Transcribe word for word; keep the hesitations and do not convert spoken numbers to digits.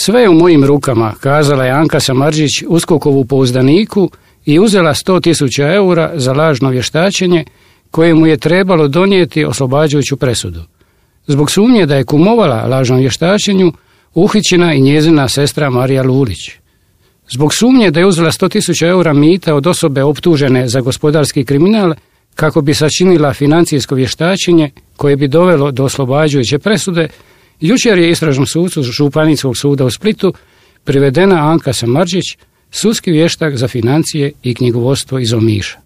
Sve je u mojim rukama, kazala je Anka Samardžić uskokovu pouzdaniku i uzela sto tisuća eura za lažno vještačenje koje mu je trebalo donijeti oslobađajuću presudu. Zbog sumnje da je kumovala lažnom vještačenju, uhićena i njezina sestra Marija Lulić. Zbog sumnje da je uzela sto tisuća eura mita od osobe optužene za gospodarski kriminal kako bi sačinila financijsko vještačenje koje bi dovelo do oslobađajuće presude, jučer je istražnom sucu Županijskog suda u Splitu privedena Anka Samardžić, sudski vještak za financije i knjigovodstvo iz Omiša.